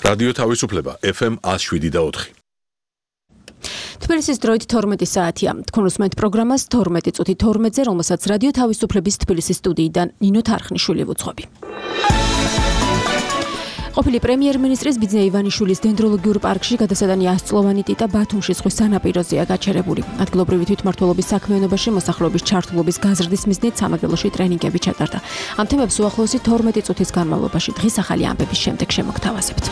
რადიო თავისუფლება FM 107.4. თბილისის დროით 12 საათია. თქვენ უსმენთ პროგრამას 12 წუთი 12-ზე, რომელსაც რადიო თავისუფლების თბილისის სტუდიიდან ნინო თარხნიშვილი ვუძღვები. ყოფილი პრემიერ-მინისტრის ბიძინა ივანიშვილის დენდროლოგიურ პარკში გადასატანი 100 წლოვანი ტიტა ბათუმში ზღვის სანაპიროზეა გაჩერებული. ადგილობრივი თვითმმართველობის საქმიანობაში მოსახლეობის ჩართულობის გაზრდის მიზნით სამეგრელოში ტრენინგები ჩატარდა. ამ თემებს უახლოესი 12 წუთის განმავლობაში დღის ახალი ამბების შემდეგ შემოგთავაზებთ.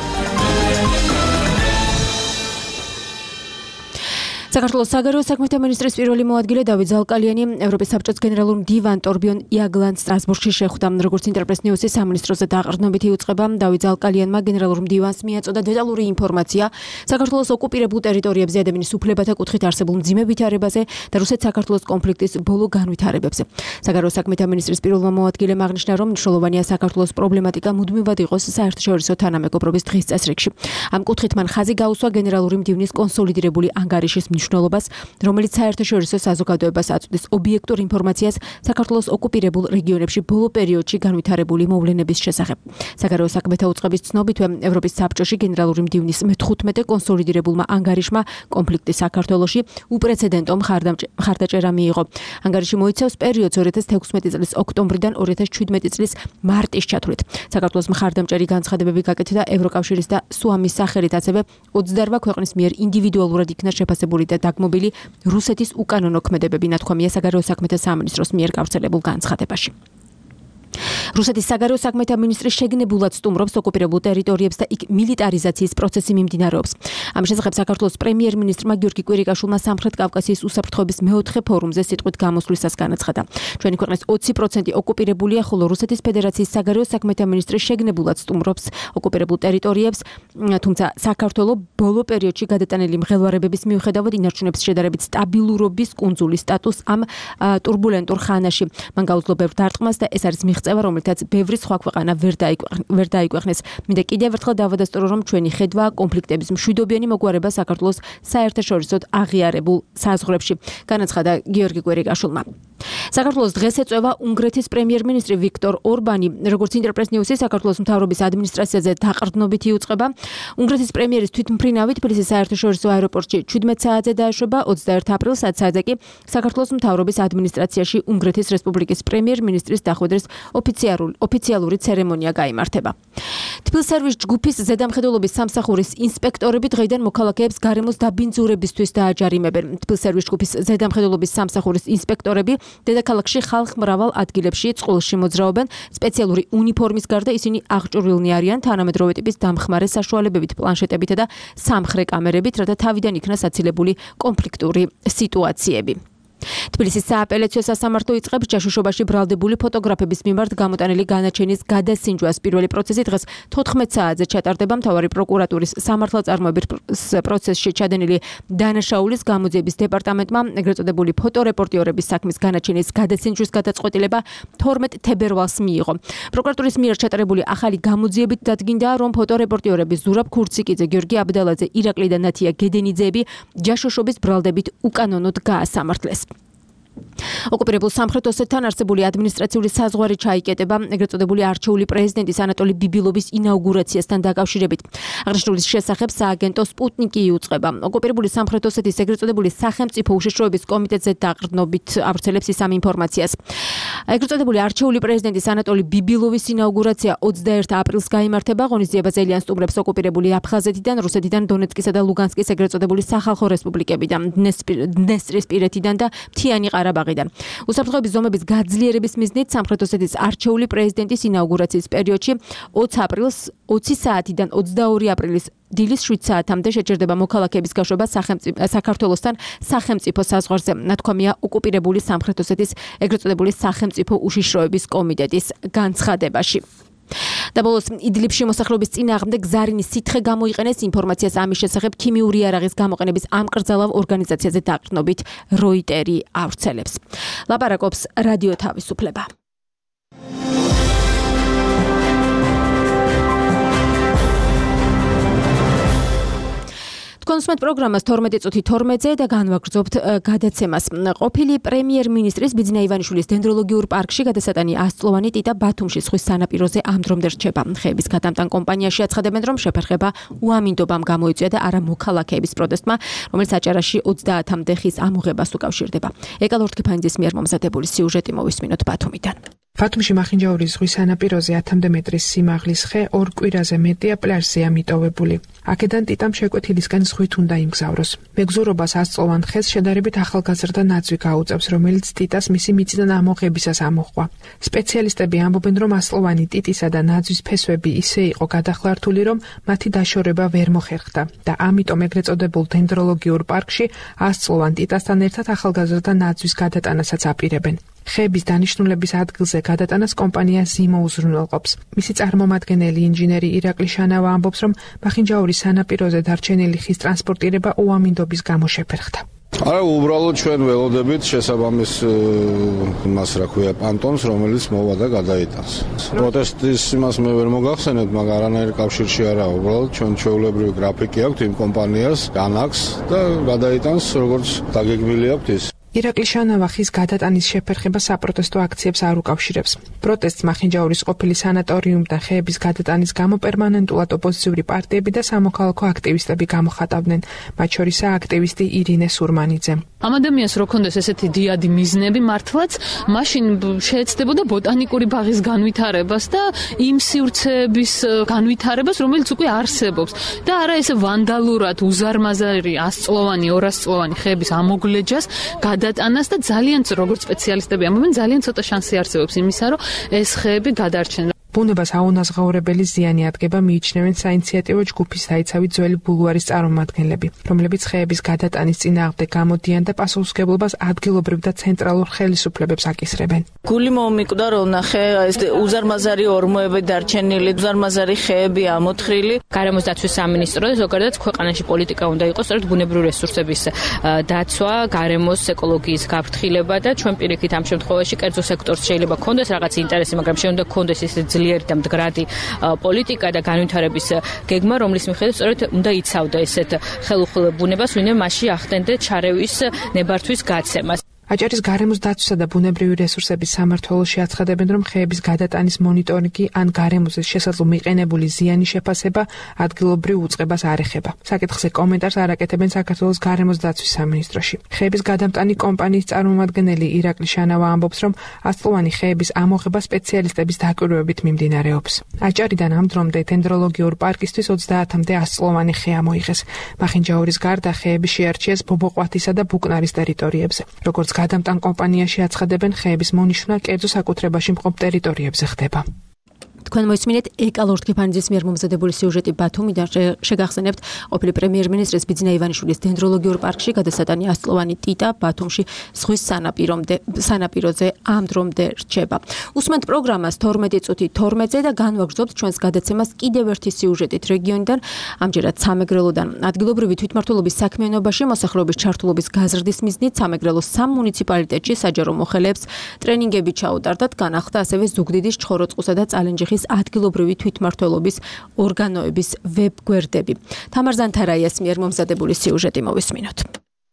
საქართველოს საგარეო საქმეთა მინისტრის პირველი მოადგილე დავით ზალკალიანი ევროპის საბჭოს გენერალურ მდივან ტორბიონ იაგლანს სტრასბურგში შეხვდა. როგორც ინტერპრეს ნიუსის სამინისტროზე დაყრდნობითი უწყება, დავით ზალკალიანმა გენერალურ მდივანს მიაწოდა დეტალური ინფორმაცია საქართველოს ოკუპირებულ ტერიტორიებზე ადამიანის უფლებათა კუთხით არსებულ მძიმე ვითარებაზე და რუსეთ-საქართველოს კონფლიქტის ბოლო განვითარებებზე. საგარეო საქმეთა მინისტრის პირველმა მოადგილემ აღნიშნა, რომ მნიშვნელოვანია საქართველოს პრობლემატიკა მუდმივად იყოს საერთაშორისო თანამეგობრობის დღის წესრიგში. ამ კუთხით მან ხაზი გაუსვა გენერალური მდივნის კონსოლიდირებული ანგარიშის მნიშვნელობას, რომელიც საერთაშორისო საზოგადოებას აწვდის ობიექტურ ინფორმაციას საქართველოს ოკუპირებულ რეგიონებში ბოლო პერიოდში განვითარებული მოვლენების შესახებ. საგარეო საქმეთა უწყების ცნობითვე ევროპის საბჭოში გენერალური მდივნის მე-15 კონსოლიდირებულმა ანგარიშმა კონფლიქტი საქართველოში უპრეცედენტო მხარდაჭერა მიიღო. ანგარიში მოიცავს პერიოდს 2016 წლის ოქტომბრიდან 2017 წლის მარტის ჩათვლით. საქართველოს მხარდამჭერი განცხადებები გაკეთდა ევროკავშირის და სუამის სახელით, ასევე 28 ქვეყნის მიერ ინდივიდუალურად იქნა შეფასებული და დაგმობილი რუსეთის უკანონო ქმედებები, ნათქვამია საგარეო საქმეთა სამინისტროს მიერ გავრცელებულ განცხადებაში. რუსეთის საგარეო საქმეთა მინისტრი შეგნებულად სტუმრობს ოკუპირებულ ტერიტორიებს და იქ მილიტარიზაციის პროცესი მიმდინარეობს. ამის შესახებ საქართველოს პრემიერ-მინისტრმა გიორგი კვირიკაშვილმა სამხრეთ კავკასიის უსაფრთხოების მეოთხე ფორუმზე სიტყვით გამოსვლისას განაცხადა. ჩვენი ქვეყნის 20% ოკუპირებულია, ხოლო რუსეთის ფედერაციის საგარეო საქმეთა მინისტრი შეგნებულად სტუმრობს ოკუპირებულ ტერიტორიებს, თუმცა საქართველოს ბოლო პერიოდში გადატანილი მღელვარებების მიუხედავად ინარჩუნებს შედარებით სტაბილურობის კუნძულის სტატუსს ამ ტურბულენტურ ხანაში. მან გაუძლო ბევრ დარტყმას და ეს არის მიღწევა, რომელთაც ბევრი სხვა ქვეყანა ვერ დაიკვეხნეს. მინდა კიდევ ერთხელ დავადასტურო, რომ ჩვენი ხედვა კონფლიქტების მშვიდობიანი მოგვარება საქართველოს საერთაშორისოდ აღიარებულ საზღვრებში, განაცხადა გიორგი კვირიკაშვილმა. საქართველოს დღეს ეწევა უნგრეთის პრემიერ-მინისტრი ვიქტორ ორბანი. როგორც ინტერპრეს ნიუსის საქართველოს მთავრობის ადმინისტრაციაზე დაყრდნობითი უწყება, უნგრეთის პრემიერის თვითმფრინავი თბილისის საერთაშორისო აეროპორტში 17 საათზე დაეშვება, 21 აპრილს 10 საათზე კი საქართველოს მთავრობის ადმინისტრაციაში უნგრეთის რესპუბლიკის პრემიერ-მინისტრის დახვედრის ოფიციალური ცერემონია გაიმართება. თბილსერვის ჯგუფის ზედამხედველობის სამსახურის ინსპექტორები დღეიდან მოქალაქეებს გარემოს დაბინძურებისთვის დააჯარიმებენ. თბილსერვის ჯგუფის ზედამხედველობის სამსახურის ინსპექტორები დედაქალაქში ხალხ მრავალ ადგილებში წყვილში მოძრაობენ. სპეციალური უნიფორმის გარდა ისინი აღჭურვილნი არიან თანამედროვე ტიპის დამხმარე საშუალებებით, პლანშეტებითა და სამხრე კამერებით, რათა თავიდან იქნას აცილებული კონფლიქტური სიტუაციები. თბილისის სააპელაციო სასამართლო იწყებს ჯაშუშობაში ბრალდებული ფოტოგრაფების მიმართ გამოტანილი განაჩენის გადასინჯვას. პირველი პროცესი დღეს 14 საათზე ჩატარდება. მთავარი პროკურატურის სამართალწარმოების პროცესში ჩადენილი დანაშაულის გამოძიების დეპარტამენტმა ეგრეთ წოდებული ფოტორეპორტიორების საქმის განაჩენის გადასინჯვის გადაწყვეტილება 12 თებერვალს მიიღო. პროკურატურის მიერ ჩატარებული ახალი გამოძიებით დადგინდა, რომ ფოტორეპორტიორები ზურაბ ქურციკიძე, გიორგი აბდალაძე, ირაკლი და ნათია გედენიძეები ჯაშუშობის ბრალდებით უკანონოდ გაასამართლეს. ოკუპირებულ სამხრეთ ოსეთთან არსებული ადმინისტრაციული საზღვარი ჩაიკეტება ეგრეთ წოდებული არჩეული პრეზიდენტის ანატოლი ბიბილოვის ინაუგურაციასთან დაკავშირებით. აღნიშნულის შესახებ სააგენტო სპუტნიკი იუწყება. ოკუპირებული სამხრეთ ოსეთის ეგრეთ წოდებული სახელმწიფო უშიშროების კომიტეტზე დაყრდნობით ავრცელებს ის ამ ინფორმაციას. ეგრეთ წოდებული არჩეული პრეზიდენტის ანატოლი ბიბილოვის ინაუგურაცია 21 აპრილს გაიმართება. ღონისძიებას ელიან სტუმრებს ოკუპირებული აფხაზეთიდან, რუსეთიდან, დონეცკისა და ლუგანსკის ეგრეთ წოდებული სახალხო რესპუბლიკებიდან, დნესტრისპირეთიდან და მთიანი ყარაბაღიდან. უსაფრთხოების ზომების გაძლიერების მიზნით სამხრეთ ოსეთის არჩეული პრეზიდენტის ინაუგურაციის პერიოდში 20 აპრილს 20 საათიდან 22 აპრილის დილის 7 საათამდე შეჭერდება მოქალაქეების გაშვება საქართველოსთან სახელმწიფო საზღვარზე. ნათქვამია ოკუპირებული სამხრეთ ოსეთის ეგრეთ წოდებული სახელმწიფო უშიშროების კომიტეტის განცხადებაში. და ბოლოს იდლიბში მოსახლეობის წინააღმდეგ ზარინის სითხე გამოიყენეს. ინფორმაციას ამის შესახებ ქიმიური იარაღის გამოყენების ამკრძალავ ორგანიზაციაზე დაყრდნობით როიტერი ავრცელებს. ლაპარაკობს რადიო თავისუფლება. თქვენ უსმენთ პროგრამას 12 წუთი 12-ზე და განვაგრძობთ გადაცემას. ყოფილი პრემიერ-მინისტრის ბიძინა ივანიშვილის დენდროლოგიურ პარკში გადასატანი 100 წლოვანი ტიტა ბათუმში ზღვის სანაპიროზე ამ დრომდე რჩება. ხეების გადამტან კომპანიაში აცხადებენ, რომ შეფერხება უამინდობამ გამოიწვია და არა მოქალაქეების პროტესტმა, რომელიც აჭარაში 30-მდე ხის ამოღებას უკავშირდება. ეკა ლორთქიფანიძის მიერ მომზადებული სიუჟეტი მოვისმინოთ ბათუმიდან. ბათუმში მახინჯაურის ზღვის სანაპიროზე 10-მდე მეტრის სიმაღლის ხე 2 კვირაზე მეტია პლაჟზეა მიტოვებული. აქედან ტიტამ შეკვეთილისკენ ზღვით უნდა იმგზავროს. მეგზურობას 100 წლოვან ხეს შედარებით ახალგაზრდა ნაძვი გაუწევს, რომელიც ტიტას მისი მიწიდან ამოღებისას ამოჰყვა. სპეციალისტები ამბობენ, რომ 100 წლოვანი ტიტისა და ნაძვის ფესვები ისე იყო გადახლართული, რომ მათი დაშორება ვერ მოხერხდა და ამიტომ ეგრეთ წოდებულ დენდროლოგიურ პარკში 100 წლოვან ტიტასთან ერთად ახალგაზრდა ნაძვის გადატანასაც აპირებენ. ხეების დანიშნულების ადგილზე გადატანას კომპანია ზიმო უზრუნველყოფს. მისი წარმომადგენელი ინჟინერი ირაკლი შანავა ამბობს, რომ მახინჯაურის სანაპიროზე დარჩენილი ხის ტრანსპორტირება უამინდობის გამო შეფერხდა. არა, უბრალოდ ჩვენ ველოდებით შესაბამის მას რა ქვია პანტონს, რომელიც მოვა და გადაიტანს. პროტესტის იმას მე ვერ მოგახსენებ, მაგრამ არანაირ კავშირში არა, უბრალოდ ჩვენ ჩვეულებრივი გრაფიკი აქვს იმ კომპანიას, განაგს და გადაიტანს, როგორც დაგეგმილი აქვს ის. ირაკლი შანავა ხის გადატანის შეფერხება საპროტესტო აქციებს არ უკავშირებს. პროტესტს მახინჯაურის ყოფილი სანატორიუმიდან ხეების გადატანის გამო პერმანენტულად ოპოზიციური პარტიები და სამოქალაქო აქტივისტები გამოხატავდნენ, მათ შორისაა აქტივისტი ირინე სურმანიძე. ამ ადამიანს რო ქონდეს ესეთი დიადი მიზნები მართლაც, მაშინ შეეცდებოდა ბოტანიკური ბაღის განვითარებას და იმ სივრცეების განვითარებას, რომელიც უკვე არსებობს და არა ესე ვანდალურად უზარმაზარი 100 წლოვანი, 200 წლოვანი ხეების ამოგლეჯას გადატანას და ძალიან როგორც სპეციალისტები ამბობენ, ძალიან ცოტა შანსი არსებობს იმისა, რომ ეს ხეები გადარჩენ. ბუნებას აუნაზღაურებელი ზიანი ადგება მიიჩნევენ საინიციატივო ჯგუფის საიცავი ძველი ბულვარის წარმომადგენლები, რომლებიც ხეების გადატანის წინააღმდეგ გამოდიან და პასუხისმგებლობას ადგილობრივ და ცენტრალურ ხელისუფლებებს აკისრებენ. გული მომიკვდა, რომ ნახე ეს უზარმაზარი ორმოები დარჩენილი, უზარმაზარი ხეები ამოთხრილი. გარემოს დაცვის სამინისტრო და ზოგადად ქვეყანაში პოლიტიკა უნდა იყოს სწორედ ბუნებრივი რესურსების დაცვა, გარემოს ეკოლოგიის გაფრთხილება და ჩვენ პირიქით ამ შემთხვევაში კერძო სექტორს შეიძლება ქონდეს რაღაც ინტერესი, მაგრამ შეიძლება ქონდეს ის ძლიერი და მდგრადი პოლიტიკა და განვითარების გეგმა, რომლის მიხედვით სწორედ უნდა იცავდა ესეთ ხელუხლებ ბუნებას, ვინმე მასში ახდენდა ჩარევის ნებართვის გაცემას. აჭარის გარემოს დაცვისა და ბუნებრივი რესურსების სამმართველოში აცხადებენ, რომ ხეების გადატანის მონიტორინგი ან გარემოზე შესაძლო მიყენებული ზიანის შეფასება ადგილობრივ უწყებას არ ეხება. საკითხზე კომენტარს არ აკეთებენ საქართველოს გარემოს დაცვის სამინისტროში. ხეების გადამტანი კომპანიის წარმომადგენელი ირაკლი შანავა ამბობს, რომ 100 წლოვანი ხეების ამოღება სპეციალისტების დაკვირვებით მიმდინარეობს. აჭარიდან ამ დრომდე დენდროლოგიურ პარკისთვის 30-მდე 100 წლოვანი ხე ამოიღეს. მახინჯაურის გარდა ხეები შეარჩიეს ბობოყვათისა და ბუკნარის ტერიტორიებზე. როგორც გადამტან კომპანიაში აცხადებენ, ხეების მონიშნა კერძო საკუთრებაში მყოფ ტერიტორიებზე ხდება. თქვენ მოისმინეთ ეკა ლორთქიფანიძის მიერ მომზადებული სიუჟეტი ბათუმიდან. შეგახსენებთ, ყოფილი პრემიერ-მინისტრის ბიძინა ივანიშვილის დენდროლოგიურ პარკში გადასატანი 100 წლოვანი ტიტა ბათუმში ზღვის სანაპიროზე ამ დრომდე რჩება. უსმენთ პროგრამას 12 წუთი 12-ზე და განვაგრძობთ ჩვენს გადაცემას კიდევ ერთი სიუჟეტით რეგიონიდან, ამჯერად სამეგრელოდან. ადგილობრივი თვითმმართველობის საქმიანობაში მოსახლეობის ჩართულობის გაზრდის მიზნით სამეგრელოს 3 მუნიციპალიტეტში საჯარო მოხელეებს ტრენინგები ჩაუტარდათ, განახლდა ასევე ზუგდიდის, ჩხოროწყუსა და წალენჯიხის ადგილობრივი თვითმმართველობის ორგანოების ვებგვერდები. თამარ ზანთარაიას მიერ მომზადებული სიუჟეტი მოვისმინოთ.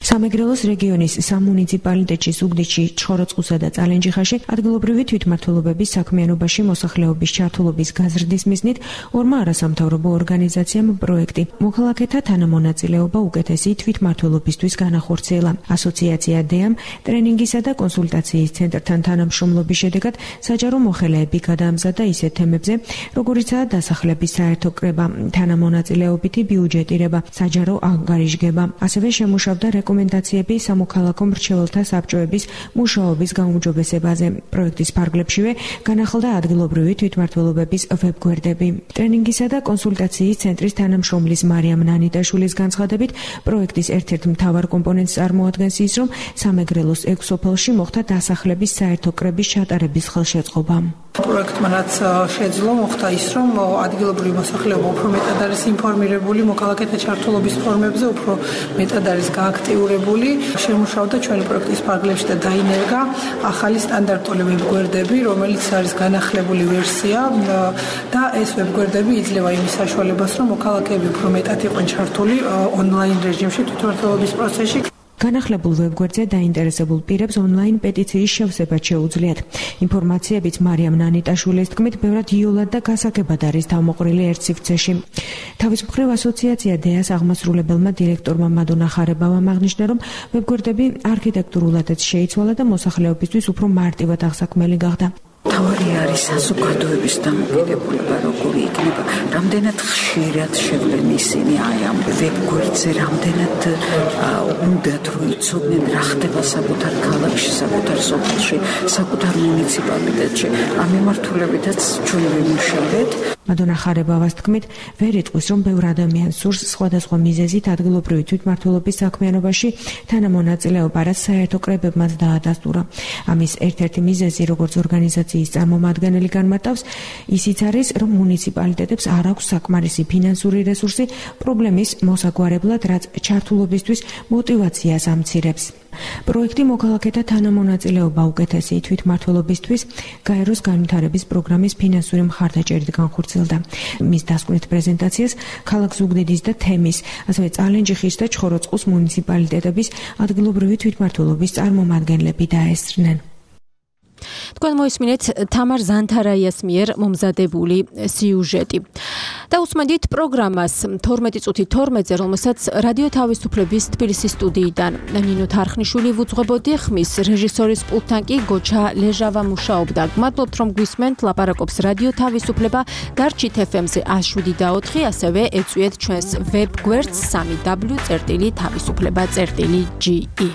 სამეგრელოს რეგიონის სამუნიციპალიტეტში ზუგდიდში, ჩხოროწყუსა და წალენჯიხაში ადგილობრივი თვითმმართველობების საქმიანობაში მოსახლეობის ჩართულობის გაზრდის მიზნით ორმა არასამთავრობო ორგანიზაციამ პროექტი მოქალაქეთა თანამონაწილეობა უკეთესი თვითმმართველობისთვის განახორციელა. ასოციაცია დეამ ტრენინგისა და კონსულტაციის ცენტრთან თანამშრომლობის შედეგად საჯარო მოხელეები გადაამზადა ისეთ თემებზე, როგორიცაა დასახლების საერთო კრება, თანამონაწილეობითი ბიუჯეტირება, საჯარო ანგარიშგება, ასევე შემუშავდა რეკომენდაციები სამოქალაქო მრჩეველთა საბჭოების მუშაობის გაუმჯობესებაზე. პროექტის ფარგლებშივე განახლდა ადგილობრივი თვითმმართველობების ვებგვერდები. ტრენინგისა და კონსულტაციის ცენტრის თანამშრომლის მარიამ ნანიტაშვილის განცხადებით, პროექტის ერთ-ერთ მთავარ კომპონენტს წარმოადგენს ის, რომ სამეგრელოს 6 სოფელში მოხდა დასახლების საერთო კრების ჩატარების ხელშეწყობა. პროექტმა რაც შეძლო მოხდა ის, რომ ადგილობრივი მოსახლეობა უფრო მეტად არის ინფორმირებული მოქალაქეთა ჩართულობის ფორმებზე, უფრო მეტად არის გააქტიურებული. შემუშავდა ჩვენი პროექტის ფარგლებში და დაინერგა ახალი სტანდარტული ვებგვერდები, რომელიც არის განახლებული ვერსია და ეს ვებგვერდები იძლევა იმის საშუალებას, რომ მოქალაქეები უფრო მეტად იყვნენ ჩართული ონლაინ რეჟიმში თვითმმართველობის პროცესში. განახლებულ ვებგვერდზე დაინტერესებულ პირებს ონლაინ პეტიციის შევსება შეუძლიათ. ინფორმაციებიც მარიამ ნანიტაშვილის თქმით, ბევრად იოლად და გასაგებად არის თავმოყრილი ერთ სივრცეში. თავის მხრივ ასოციაცია დეას აღმასრულებელმა დირექტორმა მადონა ხარებავამ აღნიშნა, რომ ვებგვერდები არქიტექტურულადაც შეიცვალა და მოსახლეობისთვის უფრო მარტივად აღსაქმელი გახდა. თავი არის საზოგადოების დამოკიდებულება, როგორი იქნება, რამდენად ხშირად შევლენ ისინი ამ ვებგვერდზე, რამდენად უნდათ რომ იცოდნენ რა ხდება საკუთარ ქალაქში, საკუთარ სოფელში, საკუთარ მუნიციპალიტეტში. ამ მიმართულებითაც ჩვენ ვიმუშავეთ. მადონა ხარებავას თქმით, ვერ იტყვის, რომ ბევრ ადამიანს სურს სხვადასხვა მიზეზით ადგილობრივი თვითმმართველობის საქმიანობაში თანამონაწილეობა, რაც საერთო კრებებმაც დაადასტურა. ამის ერთ-ერთი მიზეზი, როგორც ორგანიზაციის წარმომადგენელი განმარტავს, ისიც არის, რომ მუნიციპალიტეტებს არ აქვს საკმარისი ფინანსური რესურსი პრობლემის მოსაგვარებლად, რაც ჩართულობისთვის мотивაციას ამცირებს. პროექტი მოქალაქეთა თანამონაწილეობა უკეთესი თვითმმართველობისთვის გაეროს განვითარების პროგრამის ფინანსური მხარდაჭერით განხორციელდა. მის დასკვნით პრეზენტაციას ქალაქ ზუგდიდის და თემის, ასევე წალენჯიხის და ჩხოროწყუს მუნიციპალიტეტების ადგილობრივი თვითმმართველობის წარმომადგენლები დაესწრნენ. თქვენ მოისმინეთ თამარ ზანთარაიას მიერ მომზადებული სიუჟეტი. და უსმენთ პროგრამას 12 წუთი 12-ზე, რომელსაც რადიო თავისუფლების თბილისის სტუდიიდან ნინო თარხნიშვილი ვუძღვებოდი, ხმის რეჟისორის პულტთან კი გოჩა ლეჟავა მუშაობდა. გმადლობთ, რომ გვისმენთ, ლაპარაკობს რადიო თავისუფლება, გარჩით FM-ზე 107.4, ასევე ეწვიეთ ჩვენს ვებგვერდს www.თავისუფლება.ge.